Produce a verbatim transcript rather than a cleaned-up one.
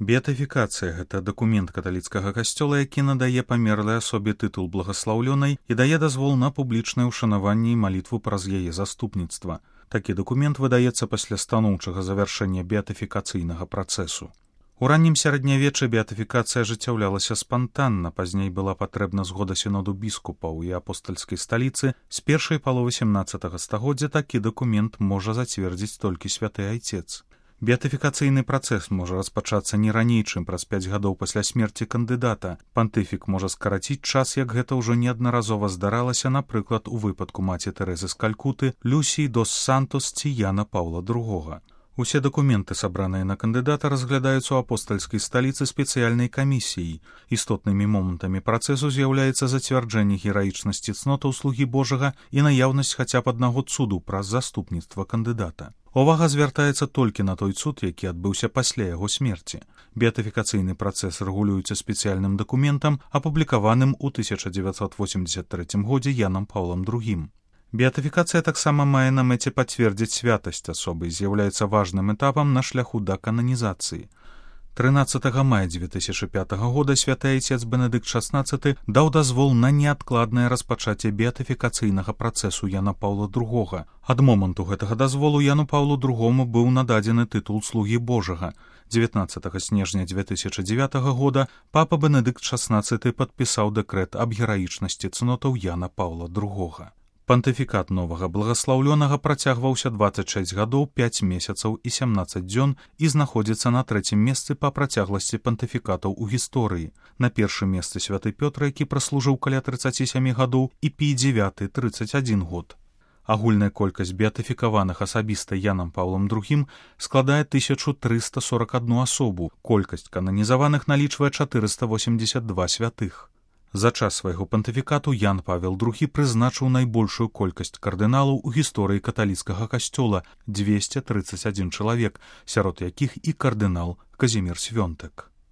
Беатыфікацыя – гэта дакумент каталіцкага касцёла, які надае памерлай асобе тытул благаслаўлёнай і дае дазвол на публічнае ўшанаванне і малітву праз яе заступніцтва. Такі дакумент выдаецца пасля станоўчага завяршэння беатыфікацыйнага працэсу. У раннім сярэднявеччы беатыфікацыя ажыццяўлялася спантанна, пазней была патрэбна згода сіноду біскупаў і апостальскай сталіцы. З першай паловы сямнаццатага стагоддзя такі дакумент можа зацвердзіць толькі святы айцец. Беатыфікацыйны працэс можа распачацца не раней, чым праз пяць гадоў пасля смерці кандыдата. Пантыфік можа скараціць час, як гэта ўжо неаднаразова здаралася, напрыклад, у выпадку маці Тэрэзы з Калькуты, Люсіі дос Сантос ці Яна Паўла другога. Усе дакументы, сабраныя на кандыдата, разглядаюцца ў апостальскай сталіцы спецыяльнай камісіяй. Істотнымі момантамі працэсу з'яўляецца зацвярджэнне гераічнасці цнотаў слугі Божага і наяўнасць хаця б аднаго цуду праз заступніцтва кандыдата. Увага звяртаецца толькі на той цуд, які адбыўся пасля яго смерці. Беатыфікацыйны працэс рэгулюецца спецыяльным дакументам, апублікаваным у тысяча дзевяцьсот восемьдесят трэцім годзе Янам Паўлам другім. Беатыфікацыя таксама мае на мэце пацвердзіць святасць асобы і з'яўляецца важным этапам на шляху да кананізацыі. трынаццатага мая дзве тысячы пятага года святы айцец Бенедыкт шаснаццаты даў дазвол на неадкладнае распачацце беатыфікацыйнага працэсу Яна Паўла другога. Ад моманту гэтага дазволу Яну Паўлу другому быў нададзены тытул слугі Божага. дзевятнаццатага снежня дзве тысячы дзевятага года папа Бенедыкт шаснаццаты падпісаў дэкрэт аб гераічнасці цнотаў Яна Паўла другога. Пантыфікат новага благаслаўлёнага працягваўся дваццаць шэсць гадоў, пяць месяцаў і сямнаццаць дзён і знаходзіцца на трэцім месцы па працягласці пантыфікатаў у гісторыі. На першым месцы святы Пётр, які праслужыў каля трыццаці сямі гадоў, і Пій дзевяты трыццаць адзін год. Агульная колькасць беатыфікаваных асабіста Янам Паўлам другім складае тысячу трыста сорак адну асобу. Колькасць кананізаваных налічвае чатырыста восемьдесят два святых. За час свайго пантыфікату Ян Павел другі прызначыў найбольшую колькасць кардыналаў у гісторыі каталіцкага касцёла – дзвесце трыццаць адзін чалавек, сярод якіх і кардынал Казімір Свёнтек.